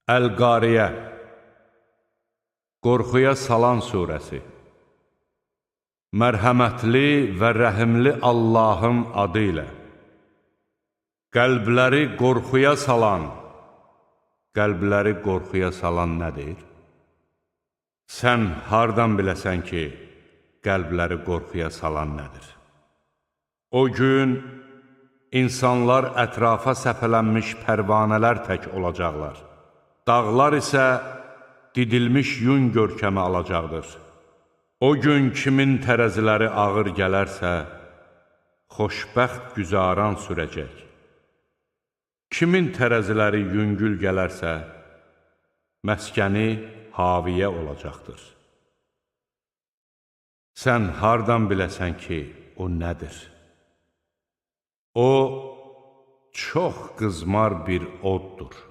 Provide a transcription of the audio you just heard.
Əl-Qariyə, qorxuya salan surəsi. Mərhəmətli və rəhimli Allahın adı ilə. Qəlbləri qorxuya salan nədir? Sən hardan biləsən ki, qəlbləri qorxuya salan nədir? O gün insanlar ətrafa səpələnmiş pərvanələr tək olacaqlar. Dağlar isə didilmiş yun görkəmi alacaqdır. O gün kimin tərəziləri ağır gələrsə, xoşbəxt güzaran sürəcək. Kimin tərəziləri yüngül gələrsə, məskəni haviyə olacaqdır. Sən hardan biləsən ki, o nədir? O, çox qızmar bir oddur.